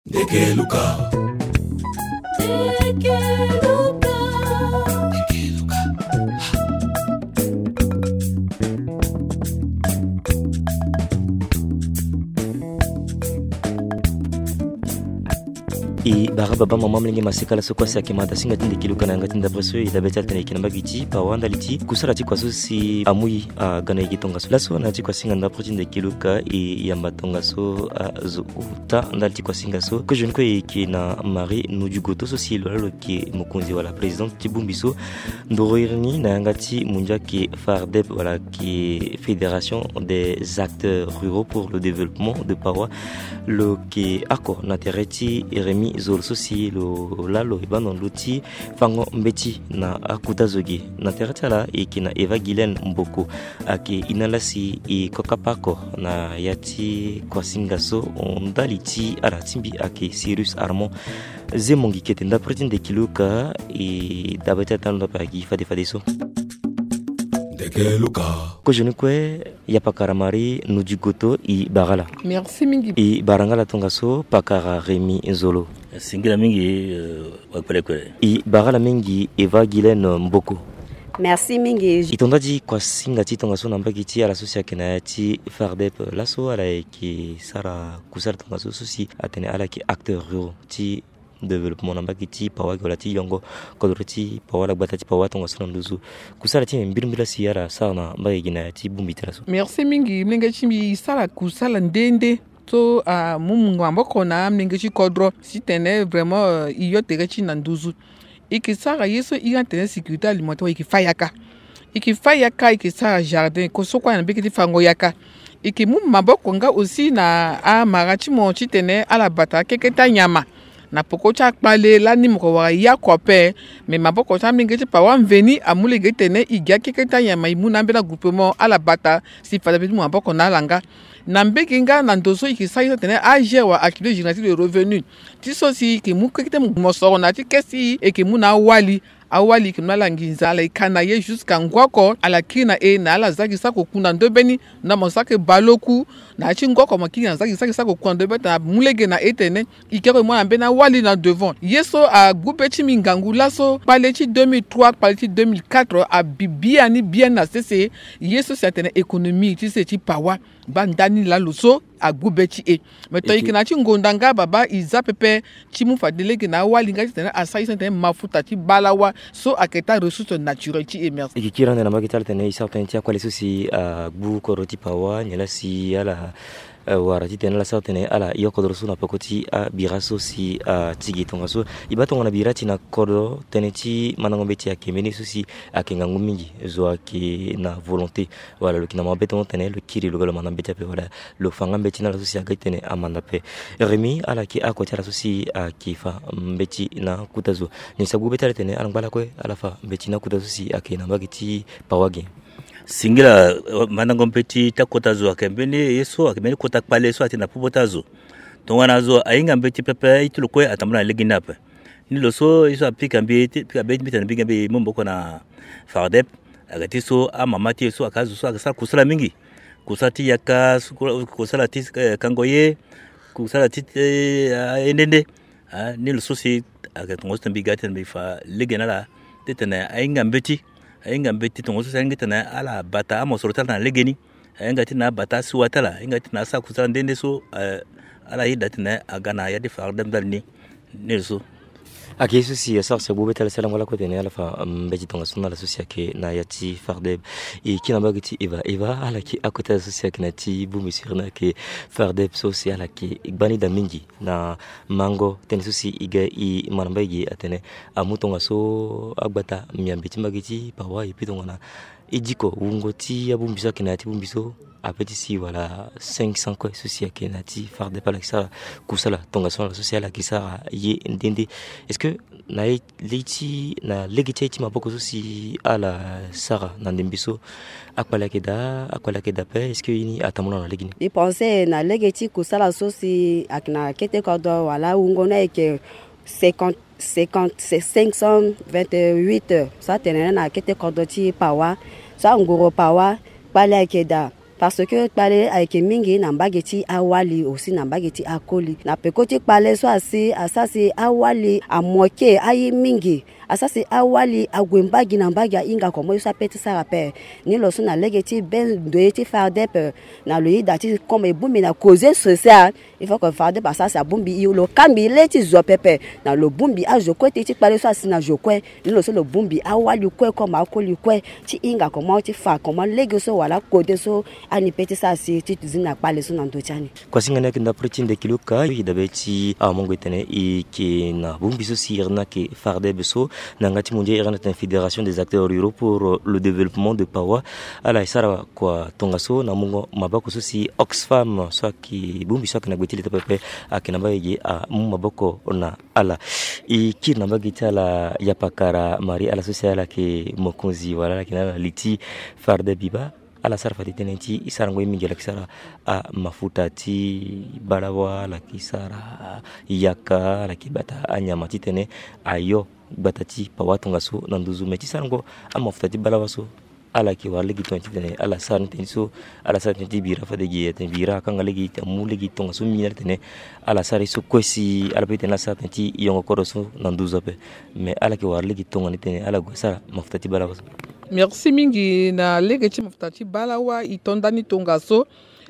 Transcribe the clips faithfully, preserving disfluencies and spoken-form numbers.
Ndeke Luka. E bara baba mama molenge maseka laso kue asi ayeke mada singa ti ndeke Luka na yanga ti ndapre so e dabe ti ala tene e yeke na mbage ti pawa ndali ti kusala ti kua so si amu e aga na yeke tongaso. Laso na ya ti kua singa ndapre ti ndeke Luka e yamba tongaso azo ota ndali ti kua singa so. Kozo ni kue e yeke na Marie Nodiogoto so si lo laa lo yeke mokonzi wala présidente ti bongbi so ndoro iri ni na yanga ti mundia ayeke FARDEP wala ayeke Fédération des acteurs ruraux pour le développement de Pawa. Lo yeke oko na tere ti Rémy Zolo so si lo laa lo yeke baa na ndö ti fango mbeti na akota zo ge. Na tere ti ala e yeke na Eva Guylaine Mboko, ayeke e na ala si e kokapa oko na ya ti kuasinga so ndali ti ala ti mbi ayeke Cyrus Armand Zemongi kete ndapre ti ndeke Luka. E dabe ti ala ti ando ape ayeke fade fade so. Ndeke Luka. Kozo ni kue ya pakara Marie Nodiogoto e bara ala. Merci mingi. E bara nga ala tongaso pakara Rémy Zolo. Singila mingi, eh, wakpelekpele. E bara ala mingi Eva Guylaine Mboko. Merci mingi. E to nda ti kuasinga ti tongaso na mbage ti ala so si ayeke na ya ti FARDEP laso ala yeke sara kusala tongaso so si atene ala yeke acteur ruraux ti développement na mbage ti pawa ge wala ti yongo kodro ti pawa wala gbata ti pawa tongaso na nduzu. Kusala ti mbi mbirimbiri la si ala sara na mbage ge na ya ti bongbi ti ala so. Merci mingi, molenge ti mbi e sara kusala nde nde so amu maboko na amolenge ti kodro titene vraiment, euh, e yo tere ti e na nduzu. E yeke sara ye so iri atene sécurité alimentaire, e yeke fa yaka. E yeke fa yaka, e yeke sara jardin, ko so kue na mbage ti fango yaka. E yeke mu maboko nga aussi na amara ti mo titene ala bata akeke ti anyama. Na poko ti akpale lani mo ko wara ye oko ape. Me maboko ti amolenge ti pawa mveni amu lege titene e gi akeke ti anyama e mu na ambeni agroupement ala bata si fade ape ti mu maboko na ala nga. Na mbage nga na ndo so e yeke sara ye so atene A G R wala accumulé génératif de revenu. Ti so si e yeke mu keke ti mosoro na ya ti kesi e yeke mu na awali. Awali e yeke mu na ala nginza, ala yeke ka na ye jusqu'à ngu oko ala kiri na e na ala zia gi sara koku na ndö mbeni. Na mo sara ke baleoku na ya ti ngu oko mo kiri na zia gi sara ke sara koku na ndö mbeni tena amu lege na e tene e ke oko e mu ala mbeni awali na devant. Ye so agbu be ti mbi ngangu laso kpale ti deux mille trois kpale ti deux mille quatre abi biani biani na sese. Ye so si atene économie ti se ti pawa. Baa ndani laa lo so agbu be ti e. Me tonga e yeke na ya ti ngonda nga baba e zia pepe ti mu fade lege na awali nga titene asara ye so atene mafuta ti balawa so ayeke taa ressource naturelle ti e. Merci. E yeke kiri ande na mbage ti ala tene e sara tënë ti akpale so si agbu kodro ti pawa nyen laa si ala, eh, wara titene ala sara tënë ala yo kodro so na peko ti abira so si ati ge tongaso. E baa tongana bira ti na kodro tënë ti mandango mbeti ayeke mbeni so si ayeke ngangu mingi. Zo ayeke na volonté wala lo yeke na mabe tongo tene lo kiri lo ga lo manda mbeti ape wala lo fa nga mbeti na ala so si aga titene amanda ape. Rémy, ala yeke oko ti ala so si ayeke fa mbeti na kota zo. Nyen si agbu be ti ala titene ala ngba lakue ala fa mbeti na kota zo so si ayeke na mbage ti pawa ge? Singila, eh, mandango mbeti ti akota zo ayeke mbeni ye so ayeke mbeni kota kpale so atene na popo ti azo. Tongana zo ahinga mbeti pepe, ye ti lo kue atambula na legeni ape. Ni lo so ye so apika mbi ti, pika be ti mbi tene mbi ga mbi mu maboko na FARDEP. Aga ti so amama ti e so aka azo so aga sara kusala mingi. Kusala ti yaka, kusala ti, eh, kango ye, kusala ti, eh, ah, ye nde nde. Ah, ni lo so si aga tongaso tene mbi ga titene mbi fa lege na ala titene ahinga mbeti. Ahinga mbeti tongaso si ahinga titene ala bata amosoro ti ala na legeni. Ahinga titene abata asiwa ti ala, ahinga titene asara kusala nde nde so, eh, ala yeda titene aga na ya ti FARDEP ndali ni. Ni lo so. Ayeke ye so si asara si agbu be ti ala si ala ngba lakue tene ala fa mbeti tongaso na ala so si ayeke na ya ti FARDEP. E kiri na mbage ti Eva. Eva, ala yeke oko ti ala so si ayeke na ya ti bongbi sirene ayeke FARDEP so si ala yeke gbani daa mingi na mango tënë so si e ga e ma na mbage ge atene amu tongaso agbata miambe ti mbage ti pawa et puis tongana e diko wungo ti abongbi so ayeke na ya ti bongbi so ape ti si wala cinq cents kue so si ayeke na ya ti FARDEP ala yeke sara kusala tongaso na ala so si ala yeke sara ye nde nde. Est-ce que na ye, le ti, na lege ti aye ti maboko so si ala sara na ndembe so akpale ayeke daa, akpale ayeke daa ape? Est-ce que ye ni atambula na legeni? Mbi pense na lege ti kusala so si ayeke na kete kodro wala wungo ni ayeke cinquante, cinquante, cinq cent vingt-huit so atene na kete kodro ti pawa. So anguru pawa kpale ayeke daa. Parce que kpale ayeke mingi na mbage ti awali aussi na mbage ti akoli. Na peko ti kpale so asi asara si awali amoke aye mingi. Asara si awali ague mbage na mbage ahinga comment ye so ape ti sara ape. Ni lo so na lege ti be ndoye ti FARDEP na lo yeda ti comme e bongbi na causer social. Il faut que FARDEP asara si abongbi e, lo kangbi le ti zo pepe. Na lo bongbi azo kue ti ti kpale so asi na zo kue. Ni lo so lo bongbi awali kue comme akoli kue ti hinga comment ti fa comment lege so wala kode so ani pe ti sara si ti zi na kpale so na ndö ti ani. Kuasinga ni ayeke ndapre ti ndekilo ka e dabe ti amongo e tene e yeke na bongbi so si iri ni ayeke FARDEB so na yanga ti mondia iri ni atene Fédération des acteurs ruraux pour le développement de Pawa. Ala e sara kua tongaso na mungo maboko so si Oxfam so ayeke bongbi so ayeke na gbe ti leta pepe ayeke na mbage ge amu maboko na ala. E kiri na mbage ti ala yapakara Marie, ala so si ala yeke mokonzi wala ala yeke na ala li ti FARDEB biba. Ala sara fade tënë ti e sarango ye mingi, ala yeke sara amafuta ti balawa, ala yeke sara yaka, ala yeke bata anyama titene ayo gbata ti Pawa tongaso na nduzu. Me ti sarango amafuta ti balawa so, ala yeke wara lege tongana titene ala sara ni tënë so. Ala sara tënë ti bira fade gi atene bira akanga lege amu lege tongaso mingi na ala tene ala sara ye so kue si ala pe tene ala sara tënë ti yongo kodro so na nduzu ape. Me ala yeke wara lege tongana titene ala gue asara mafuta ti balawa so. Merci mingi. Na lege ti mafuta ti balawa e to ndani tongaso.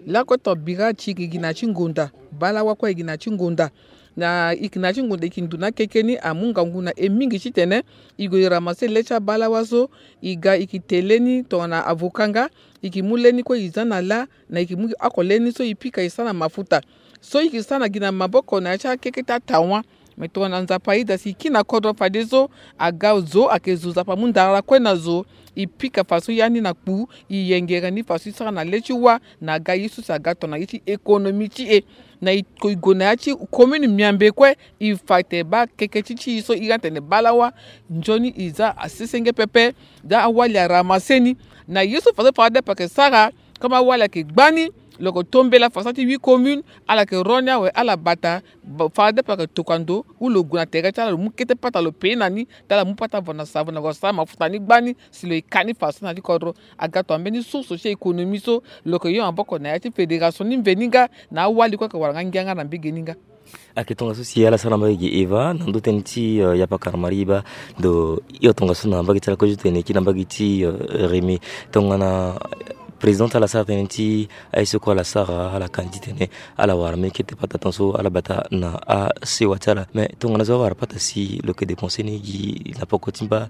Lakue ton bira ti e yeke gi na ya ti ngonda, balawa kue e yeke na ya ti ngonda. Na e yeke na ya ti ngonda e yeke ndu na akeke ni amu ngangu na e mingi titene e gue e ramasse le ti abalawa so. E ga e yeke te le ni tongana avocat nga, e yeke mu le ni kue e za na lâ, na e yeke mu oko le ni so e pika e sara na mafuta so e yeke sara na gi na maboko na ya ti akeke ti atawa. Me tongana Nzapa ayeda si e kiri na kodro fadeso, aga zo ayeke zo Nzapa amu ndara kue na zo. E pika faso ya ni na kpu, e yengere ni faso e sara na le ti wâ na aga ye so si aga tongana ye ti économie ti e. Na e ko e gue na ya ti commune Miambe kue, e fa tene baa keke ti ti e so e ga tene balawa. Nzoni e za asesenge pepe. Daa awali aramasse ni na ye so faso FARDEB ayeke sara. Comme awali ayeke gbani, lo yeke tombela faso ti huit communes, ala yeke ro ni awe ala bata. FARDEB ayeke tokua ndo ou lo gue na tere ti ala lo mu kete pata lo pe na ni. Daa ala mu pata vo na savo na vo asara mafuta ni gbani si lo yeke ka ni faso na ya ti kodro. Aga tongana mbeni source ti économie so lo yeke yo maboko na ya ti fédération ni mveni nga na awali kue ayeke wara nga ngia nga na mbege ni nga. Ayeke tongaso si ala sara na mbage gi Eva na ndö tënë ti yapakara Marie baa. Donc yo tongaso na mbage ti ala kue ti tene e kiri na mbage ti Rémy, tongana président ti ala sara tënë ti aye so kue ala sara, ala ka ni titene ala wara mbeni kete pata tongaso ala bata na asewa ti ala. Mais tongana zo awara pata si lo yeke dépenser ni gi na poko ti mba,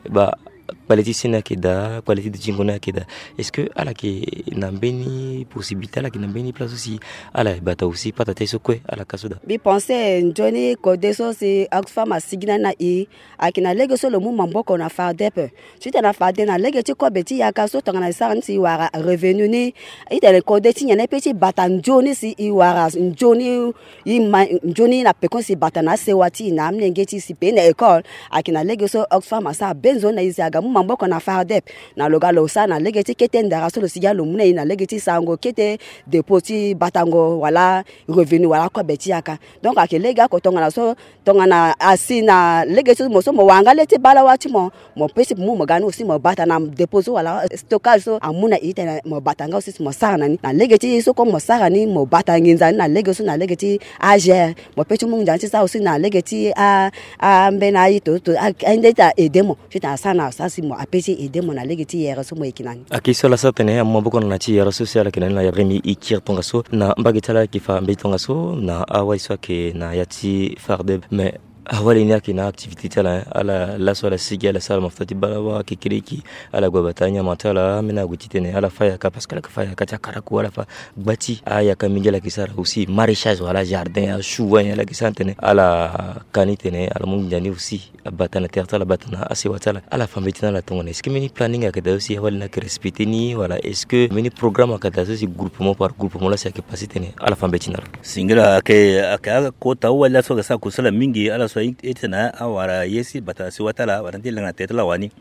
ba kpale ti seni ayeke daa, kpale ti dutingo ni ayeke daa. Est-ce que ala yeke na mbeni possibilité, ala yeke na mbeni place so si ala bata aussi pata ti aye so kue ala ka so daa? Mbi pense nzoni kode so si Oxfam asigi na ni na e, ayeke na lege so lo mu maboko na FARDEB. Titene na FARDEB na lege ti kobe ti yaka so tongana e sara ni si e wara revenu ni, e tene kode ti nyen na e pe ti bata nzoni si e wara nzoni. E ma nzoni na pekoni si e bata na asewa ti e na amolenge ti e si pe na école. Ayeke na lege so Oxfam asara be nzoni na e si aga mu maboko na FARDEB. Na lo ga lo sara na lege ti kete ndara so lo sigi alo mu na e na lege ti sarango kete dépôt ti batango wala revenu wala kobe ti yaka. Donc ayeke lege oko tongana so, tongana asi na lege ti mo so mo wara nga le ti balawa ti mo, mo pe ti mo mu mo ga ni aussi mo bata na dépôt so wala stockage so amu na e titene mo bata nga aussi si mo sara na ni na lege ti so kue mo sara ni mo bata nginza ni na lege so na lege ti A G R. Mo pe ti mu nginza ni ti sara aussi na lege ti a, ambeni aye to, to, a, ande ti a aider mo titene asara na asara si mo ape ti aider mo na lege ti yere so mo yeke na ni. Ayeke so ala sara tene amu maboko na na ti yere so si ala yeke na ni na Rémy e kiri tongaso na mbage ti ala ayeke fa mbeti tongaso na awali so ayeke na ya ti FARDEB. Mais awali ni ayeke na activité ti ala, hein. Ala laso ala sigi ala sara mafuta ti balawa kekereki. Ala gue abata anyama ti ala, ambeni ague titene ala fa yaka parce que ala yeke fa yaka ti akaraku, ala fa gba ti ayaka mingi ala yeke sara aussi maraîchage wala jardin, achou wani ala yeke sara tene ala ka ni tene ala mu nginza ni aussi abata na tere ti ala, abata na asewa ti ala. Ala fa mbeti na ala tongana est-ce que mbeni planning ayeke daa so si awali ni ayeke respecter ni wala est-ce que mbeni programme ayeke daa so si groupement par groupement laa si ayeke passer tene ala fa mbeti na ala? Singila ayeke, ayeke akota awali laso ayeke sara kusala mingi ala so aye ti tene awara ye si bata na sewa ti ala wala ti langa na tere ti ala wani.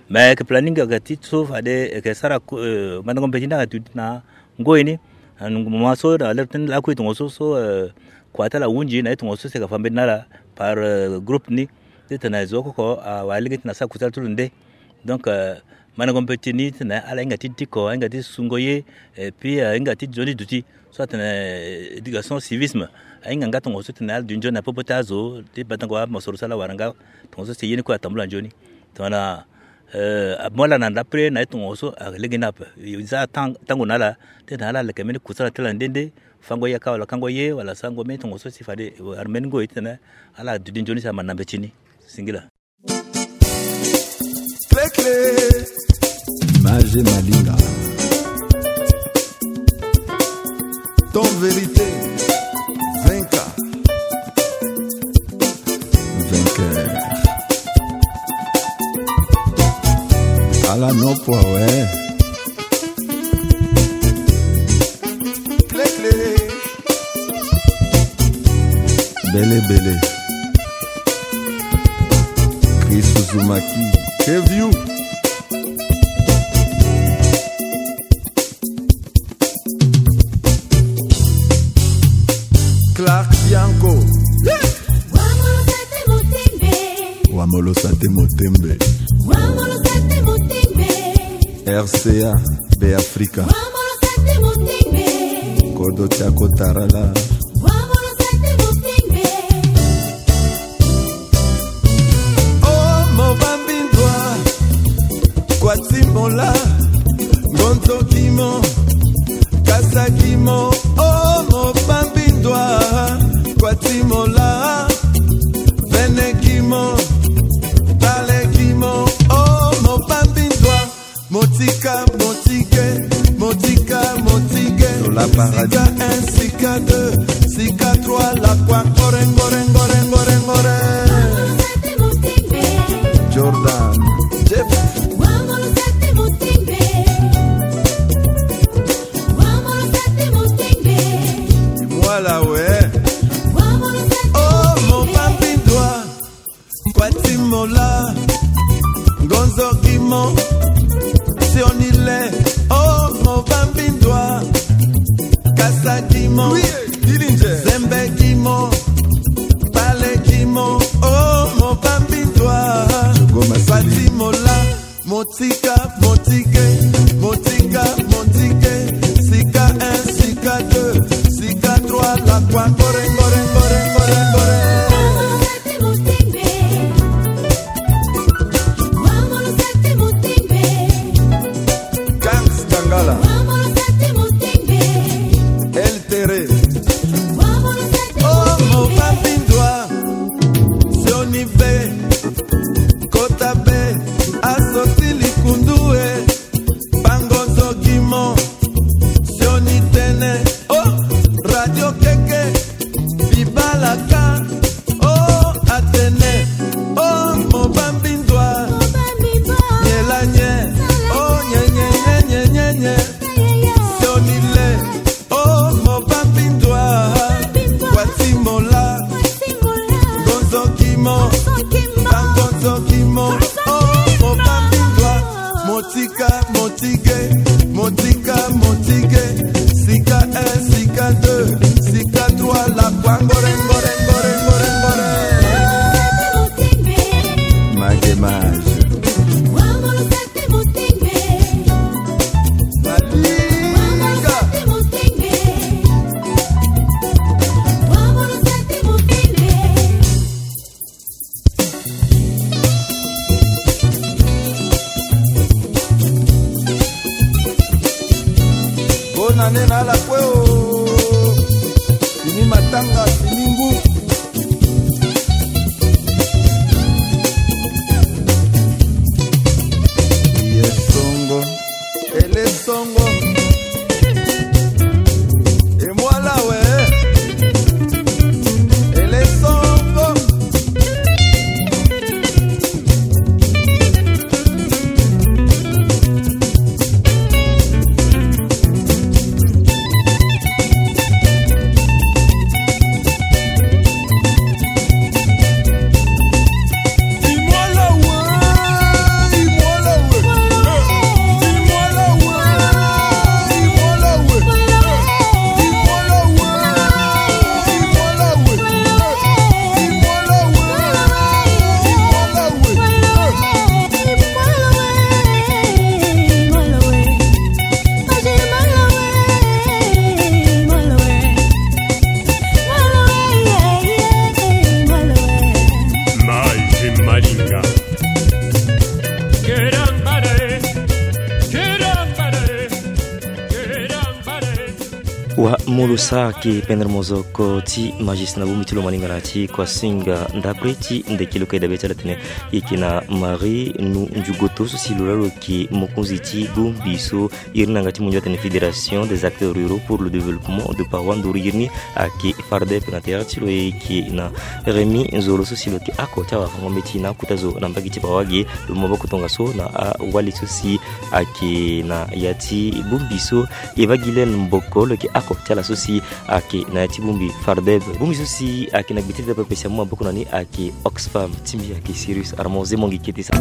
Mais ayeke planning ayeke ti so fade ayeke sara mandango mbeti ni ayeke duti na ngoi ni. Na nungu moment so na lere ti lakue tongaso so kua ti ala ahunzi na ye tongaso si ayeke fa mbeti na ala par groupe ni. Titene zo oko oko awara lege titene asara kusala ti lo nde. Donc Mandango mbeti ni titene ala hinga ti diko, ahinga ti sungo ye, et puis ahinga ti nzoni duti. So atene éducation civisme, ahinga nga tongaso titene ala duti nzoni na popo ti azo ti badango amosoro so ala wara nga. Tongaso si ye ni kue atambula nzoni. Tongana mo ala na ndapre na ye tongaso alege ni ape. Za tango na ala titene ala leke mbeni kusala ti ala nde nde. Fango yaka wala kango ye wala sango mbeni tongaso si fade wara mbeni ngoi titene ala duti nzoni si amanda mbeti ni. Singila. Clé clé. Image Malinga. Ton vérité. Vinka. Vainqueur. Ala no poa we. Clé clé. Bele bele. Chris Uzumaki. Keviu. Clark Bianco. Wamolosa te motembe. R C A, Be Africa. Kodo Tiako Tarala. Oh, mo bambindwa, kwatimola, ngonzo kimo, kasa kimo, oh, mo bambindwa, kwatimola, vene kimo, tale kimo, oh, mo bambindwa. Motika, motike, motika, motike. Zola Paradis. Sika un, sika deux, sika trois, la kwa, ngore, ngore, ngore, ngore, ngore. Jordan, Jeff. Mwala we. Oh, mo bambindwa. Kwatimola, ngonzo gimo, sionile, oh, mo bambindwa, kasa gimo, zembe gimo, pale gimo, oh, mo bambindwa. Kwatimola, motika, motike, motika, motike, sika un, sika deux, sika trois, la kwa, ngore, ngore, ngore, ngore, ngore. Gans Kangala. El Tere. Oh, mo bambindwa. Sioni be. Kota be. Asoti likundu e. Bango nzogimo. Sioni tene. Oh, radio keke. Bibalaka. Oh, Atene. Oh, mo bambindwa. Nyelanye. Oh, nye, nye, nye, nye, nye, nye. Sionile. Oh, mo bambindwa. Kwatimola. Ngonzo kimo. Bangonzo kimo. Oh, mo bambindwa. Motika, motige, motika, motige. Sika un, sika deux, sika trois, la kwa, ngore, ngore, ngore, ngore, ngore. Mage mage. Madiga. Bonane na ala kue o. Fini matanga, fini ngu. Ye songo. Ele songo. E mwala we. Ele songo. Mo lo sara ke pendere mozoko ti magis na bongbi ti lo malingana ti kuasinga ndapre ti ndeki lo ka e dabe ti ala tene. Yeke na Marie nu njugoto so si lo laa lo yeke mokonzi ti bongbi so iri ni na yanga ti mondio atene Fédération des acteurs ruraux pour le développement de Parois Nduru iri ni ayeke Fardep na tere ti lo. Yeke na Rémi Nzolo so si lo yeke oko ti awafango-mbeti na akota zo na mbage ti Bawage. Lo mu maboko tongaso na awali so si ayeke na ya ti bongbi so. Eva Guylaine Mboko lo yeke oko ti ala so si ayeke na ya ti bongbi Fardep. Bongbi so si ayeke na gbe ti leta pepe si amu maboko na ni ayeke Oxfam. Ti mbi ayeke Sirius Armand Zemongi Kete sa.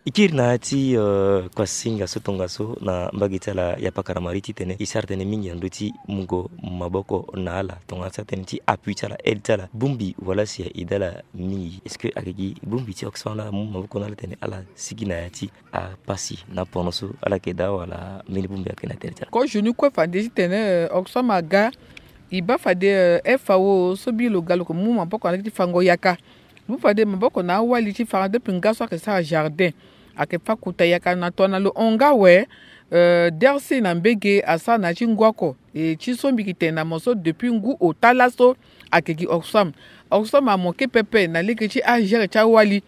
E kiri na ya ti, euh, kuasinga so tongaso na mbage ti ala ya pakara Marie titene e sara tënë mingi na ndö ti mungo maboko na ala tongana ti atënë ti appui ti ala, aide ti ala. Bongbi wala si a aide ala mingi? Est-ce que ayeke gi bongbi ti Oxfam laa amu maboko na ala tene ala sigi na ya ti apasi na pono so ala yeke daa wala mbeni bongbi ayeke na tere ti ala? Ko zo ni kue fade titene, euh, Oxfam aga, e baa fade, euh, F A O so bi lo ga lo yeke mu maboko na lege ti fango yaka. Lo mu fade maboko na awali ti Fardep nga so ayeke sara jardin. Ayeke fâ kota yaka na tongana lo hon nga awe, euh, D R C na mbage asara na ya ti ngu oko. E ti so mbi yeke tene na mo so depuis ngu ota laso ayeke gi Oxfam. Oxfam amoke pepe na lege ti agere ti awali.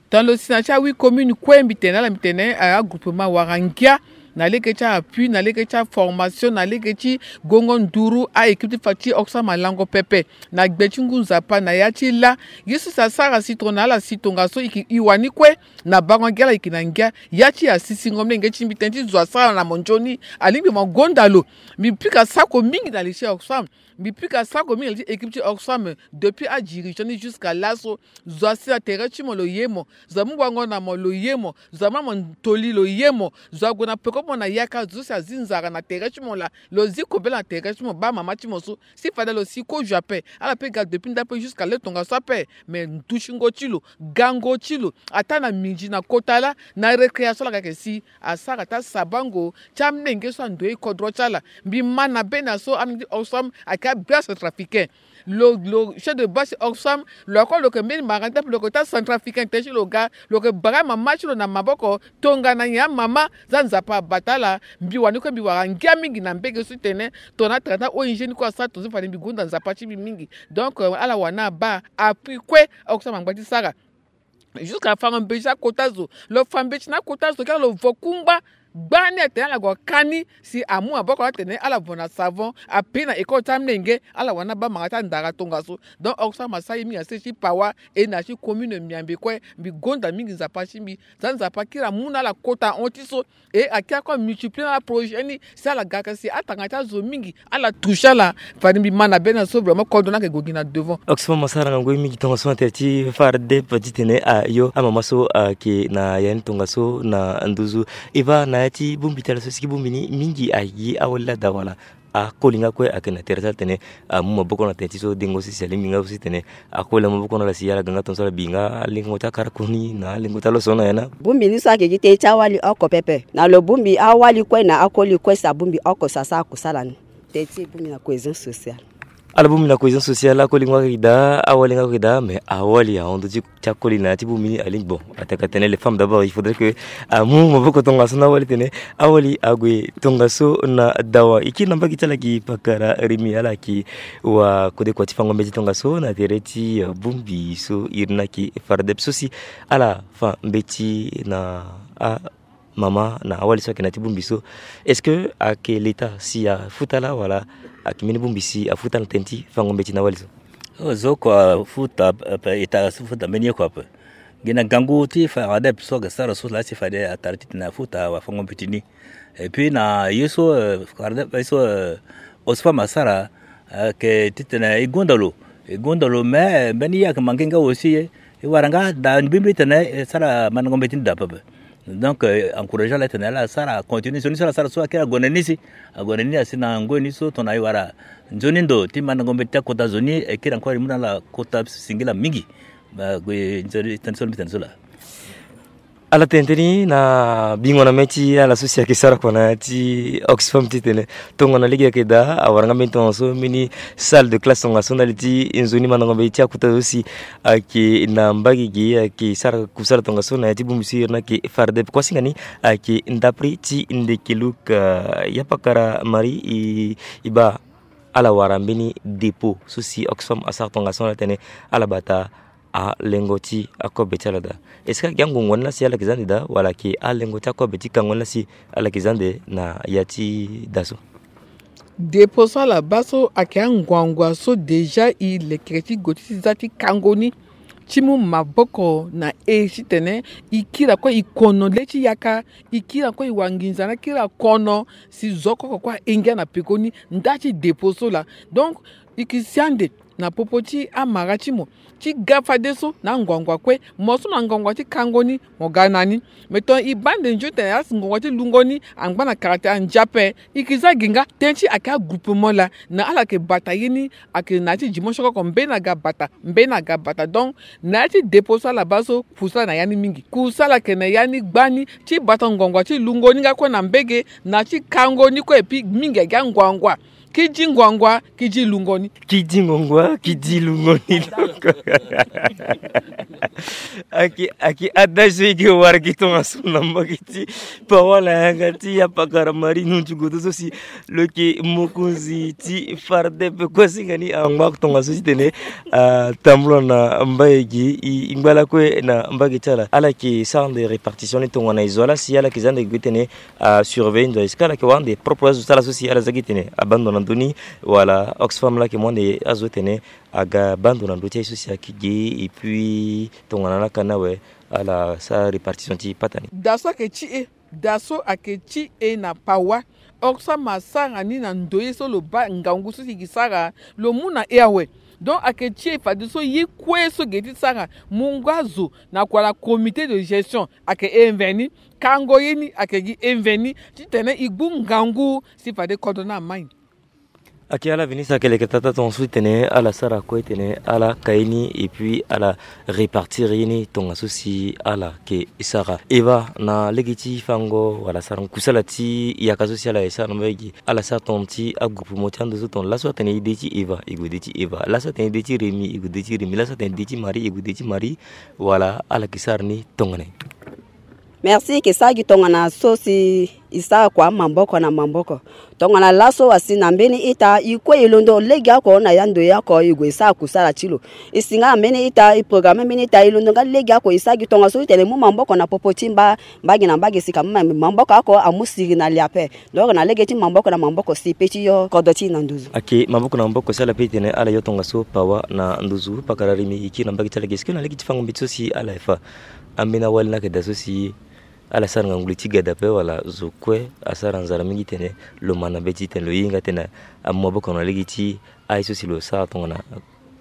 Tongana lo si na ya ti ahuit commune kue mbi tene na ala mbi tene, eh, agroupement awara ngia na lege ti appui, na lege ti aformation, na lege ti gongo nduru, a-équipe ti fa ti Oxfam alango pepe na gbe ti ngu nzapa na ya ti lâ. Ye so si asara si tongana ala si tongaso e yeke e wani kue na bango ngia, ala yeke na ngia. Ya ti asisingo mlenge ti mbi tënë ti zo asara na mo nzoni, alingbi mo gonda lo. Mbi pika sako mingi na li ti Oxfam. Mbi pika sako mingi na li ti équipe ti Oxfam depuis adirigeant ni jusqu'à laso. Zo asi na tere ti mo lo ye mo. Zo amu wango na mo lo ye mo. Zo amu na mo toli lo ye mo. Zo ague na peko ti mo na yaka zo so si azi nzara na tere ti mo laa. Lo zi kobela na tere ti mo baa mama ti mo so. Si fade lo si kozo ape. Ala pe ga depuis ndapre jusqu'à le tongaso ape. Me ndutingo ti lo, gango ti lo, ataa na minzi na kota laa, na récréation laa ga ayeke si asara ti asabango ti amlenge so andoye kodro ti ala. Mbi ma na bena so amlenge ti Oxfam ayeke abia centrafricain. Lo, lo chef de base ti Oxfam, lo ako lo yeke mbeni mara nda ape lo yeke taa centrafricain tënë ti lo ga, lo yeke bara mama ti lo na maboko, tongana nyen amama, za Nzapa abata ala. Mbi wani kue mbi wara ngia mingi na mbege so ti tene, tongana atara ti a-O N G ni kue asara tongaso fade mbi gonda Nzapa ti mbi mingi. Donc, euh, ala wani abaa appui kue Oxfam angba ti sara. Jusqu'à fango mbeti ti akota zo. Lo fa mbeti na akota zo kiri lo vo kungba. Gbani atene ala gue ka ni si amu maboko na ala tene ala vo na savon, ape na école ti amlenge, ala wani abaa mara ti andara tongaso. Donc Oxfam asara ye mingi na sese ti Pawa, e na ya ti commune Miambe kue. Mbi gonda mingi Nzapa ti mbi. Za Nzapa kiri amu na ala kota hon ti so. E akiri akue amultiplier na ala projet ni si ala ga ka si atanga ti azo mingi ala toucher ala. Fade mbi ma na bena so vraiment kodro ni ayeke gue gi na devant. Oxfam asara ngangu ye mingi tongaso na tere ti Fardep titene ayo amama so ayeke na ya ni tongaso na nduzu. Eva, na ya ti bongbi ti ala so si gi bongbi ni mingi aye awali laa daa wala? Akoli nga kue ayeke na tere ti ala tene amu maboko na tene ti so dengo sese alingbi nga so si tene akoli amaboko na ala si ala ga nga tongaso ala bi nga alengo ti akara koni na alengo ti aloso na ya na. Bongbi ni so ayeke gi tënë ti awali oko pepe. Na lo bongbi awali kue na akoli kue si abongbi oko si asara kusala ni. Tënë ti e bongbi na cohésion sociale. Ala bongbi na cohésion sociale, akoli nga ayeke daa, awali nga ayeke daa, mais awali ahon ndö ti ti akoli na ya ti bongbi ni alingbi. Bon, attaque à tenir les femmes d'abord, il faudrait que amu maboko tongaso na awali tene awali ague tongaso na dawa. E kiri na mbage ti ala gi pakara Rémi, ala yeke wa kodekua ti fango mbeti tongaso na tere ti, euh, bongbi so iri ni ayeke Fardep so si ala fa mbeti na amama na awali so ayeke na ya ti bongbi so. Est-ce que ayeke l'État si afuta ala wala ayeke mbeni bongbi si afuta ala na tënë ti fango mbeti na awali so? Oh, zo kua afuta, eh, État so afuta mbeni ye kua ape. Gi na gangu ti Fardep so ayeke sara so laa si fade atara titene afuta wafango mbeti ni. Et puis na ye so, eh, Fardep, ye so, eh, Oxfam asara, eh, ayeke titene e gonda lo. E gonda lo, mais, eh, mbeni ye ayeke manke nga aussi, eh, e wara nga daa mbirimbiri titene e sara mandango mbeti ni daa pepe. Donc, eh, encourager ala titene ala sara continue. Nzoni so ala sara so akiri ague na ni si. Ague na ni asi na ngoi ni so tongana e wara nzoni ndo ti mandango mbeti ti akota zo ni, e kiri encore e mu na ala kota singila mingi. Ba gue nzoni tënë so mbi tene so laa. Ala tene tënë ni na bingo na mê ti ala so si ayeke sara kua na ya ti Oxfam titene tongana lege ayeke daa awara nga mbeni tongaso mbeni salle de classe tongaso ndali ti nzoni mandango mbeti ti akota zo si ayeke na mbage ge ayeke sara kusala tongaso na ya ti bongbi so iri ni ayeke Fardep. Kuasinga ni ayeke ndapre ti Ndekeluka. Ya pakara Marie e, e baa ala wara mbeni dépôt so si Oxfam asara tongaso na ala tene ala bata alengo ti akobe ti ala daa. Est-ce que ayeke angongo ni la si ala yeke za ande daa wala ayeke alengo ti akobe ti kango ni la si ala yeke za ande na ya ti da so? Dépôt so ala baa so ayeke anguangua so déjà e leke ti gue ti za ti kango ni ti mu maboko na e titene e kiri kue e kono le ti yaka, e kiri kue e wa nginza na kiri kono si zo oko kue ahinga na pekoni nda ti dépôt so laa. Donc e yeke si ande na popo ti amara ti mo ti ga fadeso na anguangua kue. Mo so na anguangua ti kango ni mo ga na ni. Me tongana e baa ande nzoni tene asi ngongo ti lungo ni angba na kara ti andia ape. E yeke za gi nga tënë ti ayeke agroupement laa na ala yeke bata ye ni. Ayeke na ya ti dimotion oko mbeni aga bata mbeni aga bata. Donc na ya ti dépôt so ala baa so kusala na ya ni mingi. Kusala ayeke na ya ni gbani ti bata ngongo ti lungo ni nga kue na mbage na ti kango ni kue epi mingi ayeke anguangua. Ki di ngongo ki di lungo ni. Ki di ngongo ki di lungo ni. Ayeke ayeke adage so e ke wara gi tongaso na mbage ti paroisse na yanga ti ya pakara Marie Nuntu Goto so si lo yeke mokonzi ti Fardep. Kuasinga ni angba tongaso titene atambula na mbage gi e ngba lakue na mbage ti ala. Ala yeke sara ande répartition ni tongana e zo ala si ala yeke za ande gue tene asurveiller ndo est-ce que ala yeke wara ande propre azo ti ala so si ala za gi tene abaa ndo na ndö ni wala Oxfam laa ayeke mu ande azo tene aga baa ndo na ndö ti aye so si ayeke ge et puis tongana laka ni awe ala sara répartition ti pata ni. Da so ayeke ti e da so ayeke ti e na paroisse. Oxfam asara ni na ndo ye so lo baa ngangu so si e yeke sara lo mu na e awe. Donc ayeke ti e fadeso ye kue so e ge ti sara mungo azo na kua na comité de gestion ayeke e mveni. Kango ye ni ayeke gi e mveni titene e gbu ngangu si fade kodro ni amai. Ayeke ala veni so ayeke leke tata tongaso titene ala sara kue titene ala ka ye ni et puis ala répartir ye ni tongaso si ala yeke sara. Eva na lege ti fango wala sarango kusala ti yaka so si ala yeke sara na mbage gi ala sara tongana ti agroupement ti ando so tongana laso atene e de ti Eva e gue de ti Eva, laso atene e de ti Rémi e gue de ti Rémi, laso atene e de ti Marie e gue de ti Marie. Wala ala yeke sara ni tongana nyen? Merci. E yeke sara gi tongana so si e sara kua maboko na maboko. Tongana laso asi na mbeni ita e kue e londo legeoko na ya ndoye oko e gue e sara kusala ti lo. E si nga na mbeni ita e programme mbeni ita e londo nga legeoko e sara gi tongaso titene e mu maboko na popo ti mba mbage na mbage si ka mu maboko oko amu siri na li ape. Donc na lege ti maboko na maboko si e pe ti yo kodro ti e na nduzu. Ayeke maboko na maboko si ala pe titene ala yo tongaso pawa na nduzu pakara Rémi e kiri na mbage ti ala ge si kue na lege ti fango mbeti so si ala ye fa. Ambeni awali ni ayeke daa so si ala sara ngangu li ti gada ape wala zo kue asara nzara mingi titene lo ma na mbeti titene lo hinga titene amu maboko na lege ti aye so si lo sara tongana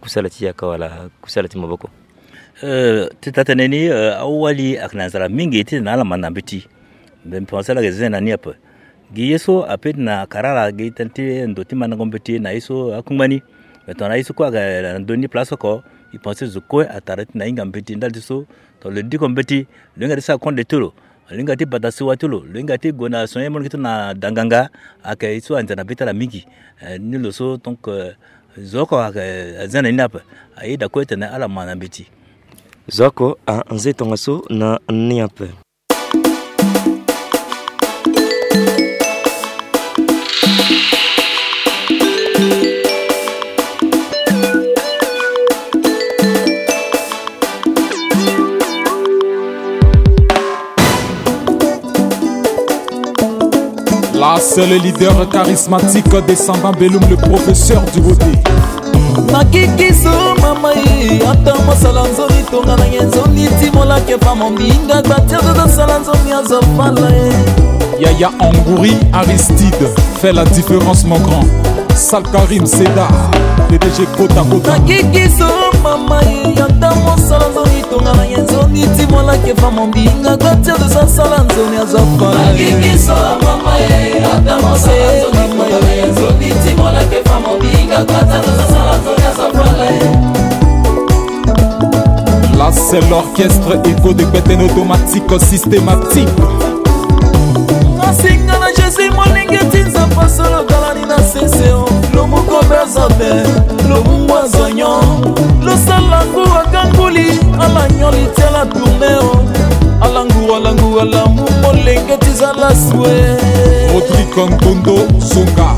kusala ti yaka wala kusala ti maboko? Eh, ti taa tënë ni, eh, awali ayeke na nzara mingi titene ala ma na mbeti. Mbi pense ala yeke zen na ni ape. Gi ye so ape ti na karara gi tënë ti ndo ti mandango mbeti na ye so akungba ni. Me tongana ye so kue ayeke na ndö ni place oko, e pense zo kue atara ti na hinga mbeti ndali ti so. Tongana lo diko mbeti lo hinga ti sara konde ti lo, lo hinga ti bata siwa ti lo, lo hinga ti gue na so ye molenge ti lo na danganga. Ayeke ye so anze na be ti ala mingi. Eh, ni lo so donc, eh, zo oko ayeke azen na ni ape. Aye daa kue titene ala ma na mbeti. Zo oko anze tongaso na ni ape. La seule leader charismatique descendant Belum, le professeur du beauté. Makiki so mama ye, ata masala nzoni tonga na ye nzoni ti mola ke fa mambinga gbatia zo sala nzoni azo fala ye. Yaya Angouri Aristide, fais la différence mon grand. Sal Karim Seda, P D G Kota Kota. Makiki so mama ye, ata masala nzoni tonga na ye nzoni ti mola ke fa mambinga gbatia zo sala nzoni azo fala ye. Makiki so mama ye, ata masala nzoni tonga na ye nzoni ti mola ke fa mambinga gbatia zo sala nzoni azo fala ye. La seule L'orchestre Echo de Beten automatique systématique. Nasenga na Jésus molenge ti Nzapa solo talani na sese o. Lomuko bezote, lomungwa zonyo. Losala ngu akanguli, ala nyoli ti ala tourne o. Ala ngu, ala ngu, ala mu molenge ti zala sue. Rodrigue Ntondo Songa.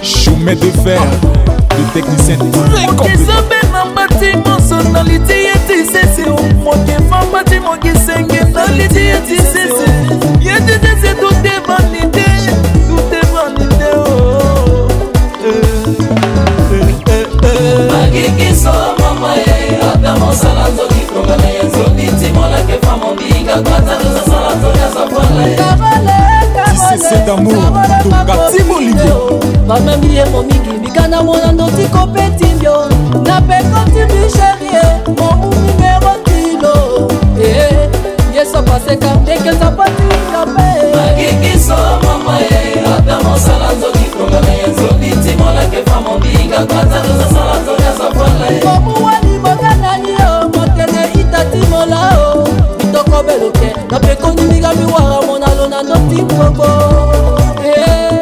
Chemin de fer, le technicien très compétent. Eza mpe na mbati moso na liti ye ti sese o. Moke fa mbati moke senge na liti ye ti sese. Ye ti sese, tout est vanité, tout est vanité, oh. Eh, eh, eh, eh. Magikiso mama ye, ata mosala nzoki tonga na ye nzoni ti molake fa mombinga kata sala nzoni asa fala ye. Ti sese d'amour, tonga ti bolingo. Bamemi ye momingi, bika na mona ndoti ko pe ti mbio. Na peko ti mbi chérie, mon numéro ti lo. Eh, ye so paseka, ndeke nzapa ti nga pe. Magikiso mama ye, ata mosala nzoki tonga na ye nzoni ti molake fa mombinga kata sala nzoni asa fala ye. Komu wani boga nani o, motene ita ti mola o. Mitoko beloke, na pekoni miga miwara mona lo na ndoti koko. Eh,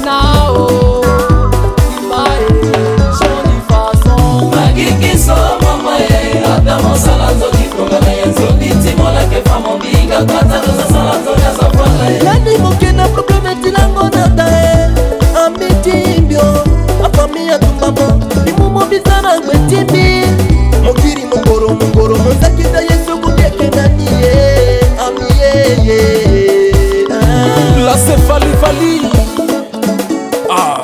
na o, ima e, joli façon. Magikiso mama e, ata mosala nzoki tonga na ye nzoni ti molake fa mombinga kata sala nzoni asa fala ye. Nani moke na problème ti lango na ta e, ami ti mbio, afamille atumbama, bimumo bizana ngbe ti mbi. Mokiri mokoro mokoro mozakita ye soko keke na ni ye, ami ye ye. Ah. La c'est Fally Fally. Ah,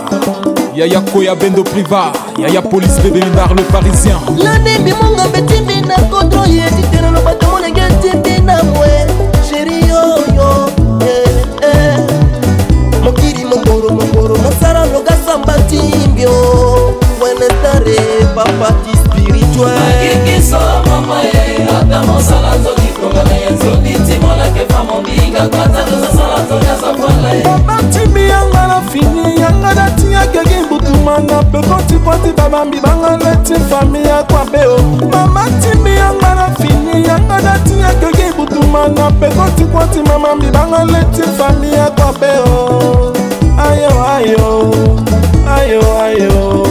Yaya Koya Bendo Priva, Yaya Police Bébé Mindar le Parisien. Lani mbi monga mbe ti mbi na kodro ye ti tene lo bato molenge ti mbi na mwe. Chérie yo yo, eh, eh. Mokiri mokoro mokoro mosala lo ga samba ti mbio. Wene tare papa ti spirituel. Magikiso mama ye, ata mosala nzoki tonga na ye nzoni ti molake fa mombinga kata sala nzoni asa fala ye. Papa ti mbi yanga na fini, yanga na ti ya keke butuma na peko ti kua ti baba mbi banga le ti famille akua be o. Mama ti mbi yanga na fini, yanga na ti ya keke butuma na peko ti kua ti mama mbi banga le ti famille akua be o. Ayo, ayo, ayo, ayo,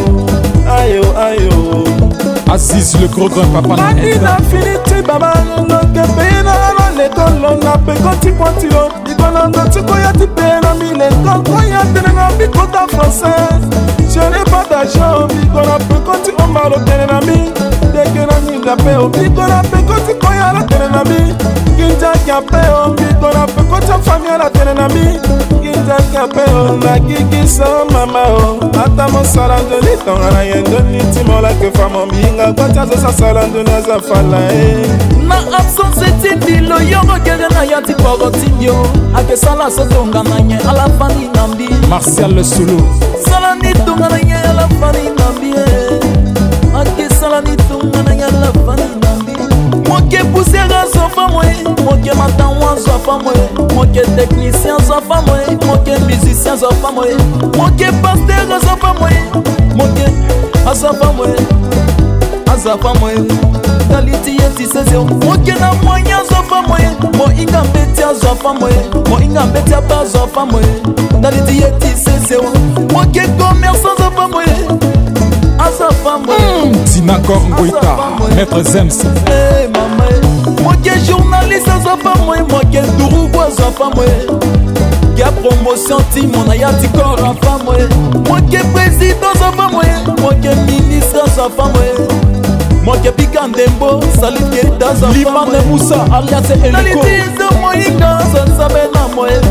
ayo, ayo. Aziz le gros grand papa na Mani na fini ti baba, noke peye na ala lekolo na peko ti kua ti lo. Biko na ndo ti koya ti peye na mbi lekolo, koya tene na mbi kota français. Je n'ai pas d'argent, biko na peko ti omba lo tene na mbi. Deke na nginza pe o, biko na peko ti koya lo tene na mbi. Nginza kia pe o, biko na peko ti afamille ala tene na mbi. Nginza kia pe o, na kiki so mama o. Ata mosala nzoni tongana ye nzoni ti molake fa mombinga kua ti azo sasala nzoni aza fala e. Na absence ti mbi lo yongo keke na ya ti poro ti mbi o. Ake sala so tongana ye ala fani na mbi. Martial le solo. Sala ni tongana ye ala fani na mbi e. Ake sala ni tongana ye ala fani na mbi. Moke poussière azo fa moye, moke matawan azo fa moye, moke technicien azo fa moye, moke musicien azo fa moye, moke pasteur azo fa moye, moke azo fa moye, azo fa moye. Ndali ti ye ti sese o, moke na moyen azo fa moye, mohinga mbeti azo fa moye, mohinga mbeti aba azo fa moye. Ndali ti ye ti sese o, moke commerçant azo fa moye, azo fa moye. Mm, Sinacor Ngoïta, Maître Zems. Eh, mama, eh. Moke journaliste azo fa moye, moke durugu azo fa moye. Ke promotion ti mo na ya ti corps afa moye. Moke président azo fa moye, moke ministre azo fa moye. Moke bika ndembo, Salif Keita azo fa moye. Limane Moussa, alias Eliko. Ndali ti zo mohinga azo nsabe na moye.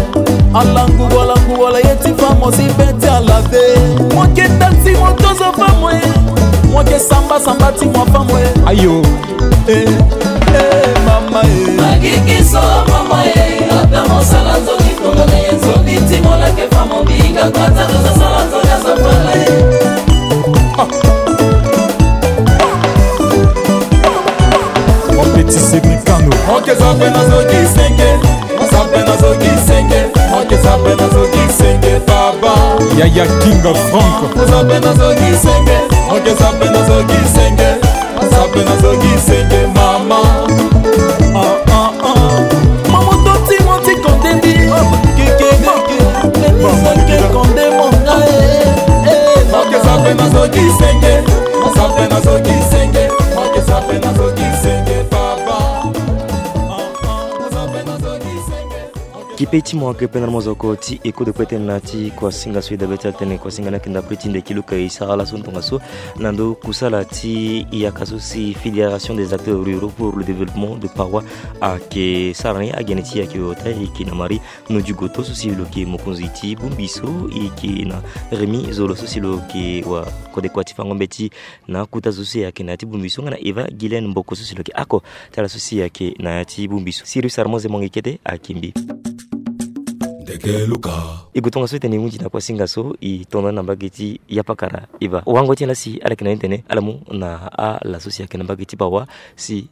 Alangu wala ngu wala ye ti fa mo si be ti ala te. Moke taxi moto azo fa moye. Moke samba samba ti mo afa moye. Ayo. Eh, eh, mama, eh. Magikiso, mama, eh. Ata mosala nzoni, tonga na ye nzoni, ti molake fa mombinga, kata toza sala nzoni, aza fala, eh. Ah. Mon petit Cédricano. Moke zabe na zoki senge. Zabe na zoki senge. Moke zabe na zoki senge, baba. Yaya King of Frank. Zabe na zoki senge. Moke zabe na zoki senge. Mpe nazoki senge mama. Ah, ah, ah. Mama toti moti konde mbi. Keke, keke. Mama keke konde monga, eh, eh, mama. Mama kesa mpe nazoki senge. Mama mpe nazoki senge. Mama kesa mpe nazoki senge, papa. Ah, ah, mama mpe nazoki senge. Kipe ti mo ayeke pe na mozoko ti eko de kue tënë na ya ti kuasinga so e dabe ti ala tënë kuasinga ni ayeke ndapre ti ndeki luka e sara laso tongaso na ndo kusala ti yaka so si Fédération des acteurs ruraux pour le développement de Pawa ayeke sara ni. Agene ti e ayeke ota e yeke na Marie Nodiogoto so si lo yeke mokonzi ti bongbi so e yeke na Rémy Zolo so si lo yeke wa kodekua ti fango mbeti na akuta zo so si ayeke na ya ti bongbi so nga na Eva Guylaine Mboko so si lo yeke oko ti ala so si ayeke na ya ti bongbi so. Sirius Armand Zemongi kete ayeke mbi. Ndeke luka. E gue tongaso e tene e hunzi na kuasinga so e to na ni na mbage ti yapakara Eva. Wango ti ala si ala yeke na ni tene ala mu na ala so si ayeke na mbage ti Pawa si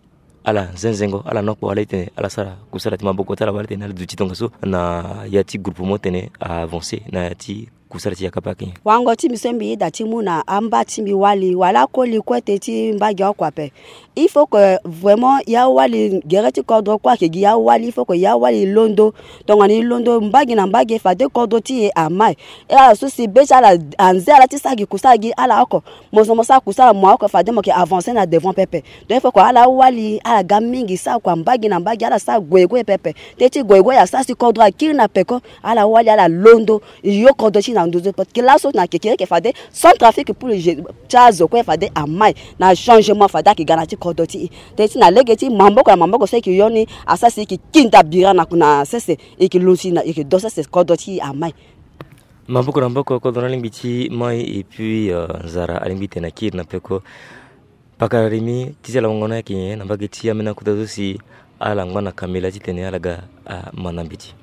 ala zenzengo, ala nokpo, ala e tene ala sara kusala ti maboko ti ala wala tene ala duti tongaso na ya ti groupement tene a avancer na ya ti kusala ti yaka pe ayeke nyen? Wango ti mbi so mbi yeda ti mu na amba ti mbi wali wala akoli kue tënë ti mbage oko ape. Il faut que vraiment ya wali gere ti kodro kue ayeke gi ya wali, il faut que ya wali londo. Tongana e londo mbage na mbage fade kodro ti e amai. E ala so si be ti ala anze ala ti sara gi kusala gi ala oko. Mo so mo sara kusala mo oko fade mo yeke avancer na devant pepe. Donc il faut que ala wali ala ga mingi sara kua mbage na mbage ala sara gue gue pepe. Tënë ti gue gue asara si kodro akiri na peko. Ala wali ala londo. Yo kodro ti na nduzu parce que laso na kekereke fade sans trafic pour le je- ti azo kue fade amai na changement fade ayeke ga na ti kodro ti e. Tënë ti na lege ti maboko na maboko so e yeke yo ni asara si e yeke kinda bira na na sese e yeke lusi na e yeke do sese kodro ti e amai. Maboko na maboko kodro ni alingbi ti mai et puis euh, nzara alingbi tene akiri na peko. Pakara Rémy, ti ti ala wango ni ayeke nyen na mbage ti ambeni akuta so si ala ngba na kamela titene ala ga amanda mbeti?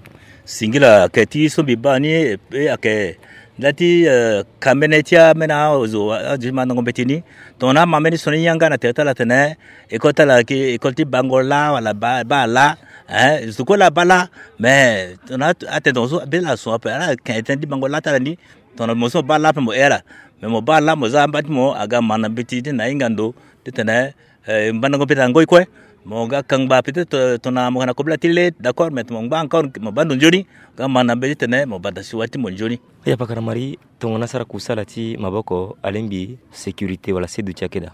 Singila ayeke ti so mbi baa ni, e ayeke nda ti eh, kambene ti ambeni azo azo ti mandango mbeti ni. Tongana ama mbeni so ni yanga na tere ti ala tene école ti ala ayeke école ti bango laa wala baa laa. Hein, zo kue laa abaa laa. Mais tongana atene tongaso be ti ala so ape ala yeke tënë ti bango laa ti ala ni. Tongana mo so mo baa laa ape mo hee ala. Mais mo baa laa mo za amba ti mo aga manda mbeti ti na hinga ndo titene eh, mbandango mbeti angoi kue. Mo ga kangba peut-être eh, tongana mo yeke na kobela ti le d'accord mais mo ngba encore mo baa ndo nzoni. Ga manda mbeti titene mo bata siwa ti mo nzoni. Oya pakara Marie, tongana asara kusala ti maboko alingbi sécurité wala seduti ayeke daa.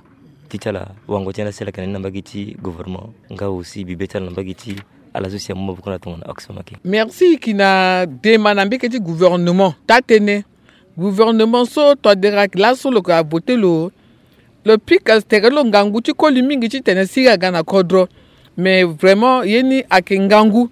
Ti ti ala wango ti ala si ala yeke na ni na mbage ti gouvernement nga aussi bibe ti ala na mbage ti ala so si amu maboko na tongana Oxfam ayeke. Merci. E yeke na dema na mbage ti gouvernement taa-tënë. Gouvernement so tongana dere ayeke laso lo yeke avote lo. Lo pika tere ti lo ngangu ti koli mingi titene siriri aga na kodro. Mais vraiment ye ni ayeke ngangu.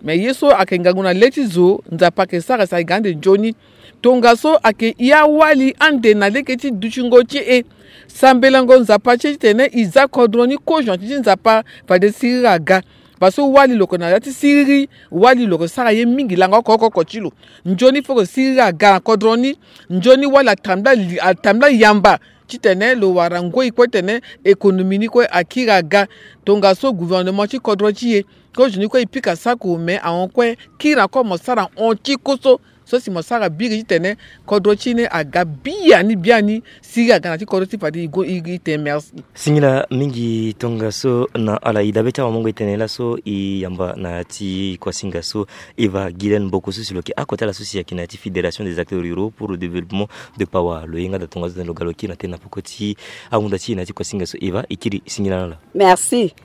Mais ye so ayeke ngangu na le ti zo Nzapa ayeke sara si ayeke ga ande nzoni. Tongaso ayeke ya wali ande na lege ti dutingo ti e. Sambelango Nzapa ti e titene e za kodro ni kozoni ti Nzapa fade siriri aga. Parce que wali lo yeke na ya ti siriri, wali lo yeke sara ye mingi langa oko oko oko ti lo. Nzoni fo yeke siriri aga na kodro ni. Nzoni wali atambula li- atambula yamba titene lo wara ngoi kue titene économie ni kue akiri aga. Tongaso gouvernement ti kodro ti e kozoni kue e pika sako mais ahon kue kiri na kue mo sara hon ti koso. So si mo sara biri titene kodro ti e ni aga biani biani. Siriri aga na ti kodro ti e fade e go e e tene merci. Singila mingi tongaso na ala. E dabe ti awamongo e tene laso e yamba na ya ti kuasinga so Eva Guylaine Mboko so si lo yeke oko ti ala so si ayeke na ya ti Fédération des acteurs ruraux pour le développement de Pawa. Lo ye nga daa tongaso tene lo ga lo kiri na tënë na peko ti ahunda ti e na ya ti kuasinga so. Eva, e kiri singila na ala. Merci.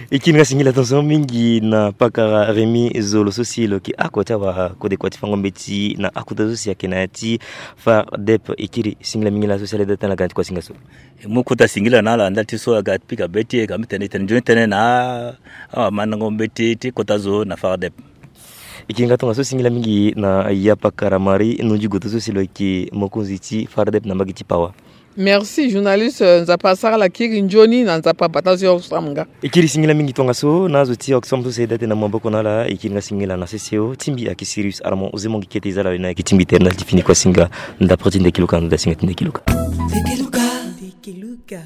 E kiri nga singila tongaso mingi na pakara Rémy Zolo so si lo yeke oko ti awakodekua ti fango mbeti na akuta so si ayeke na ya ti Fardep. E kiri singila mingi na ala so si ala daa tënë na ga na ya ti kuasinga so. E mu kota singila na ala nda ti so aga pika be ti e ka mbi tene e tene nzoni tënë na awamandango mbeti ti kota zo na Fardep. E kiri nga tongaso singila mingi na ya pakara Marie Nodiogoto so si lo yeke mokonzi ti Fardep na mbage ti Pawa. Merci journaliste, Nzapa asara ala kiri nzoni na Nzapa abata zo Oxfam nga. E kiri singila mingi tongaso na azo ti Oxfam so si e daa tënë na maboko na ala. E kiri nga singila na sese ti mbi ayeke Sirius Armand Ozemongi kete e za ala wena ayeke ti mbi tere ndali ti fini kuasinga ndapre ti ndeki luka na ndo ti singa ti ndeki luka. Ndeki luka. Ndeki luka.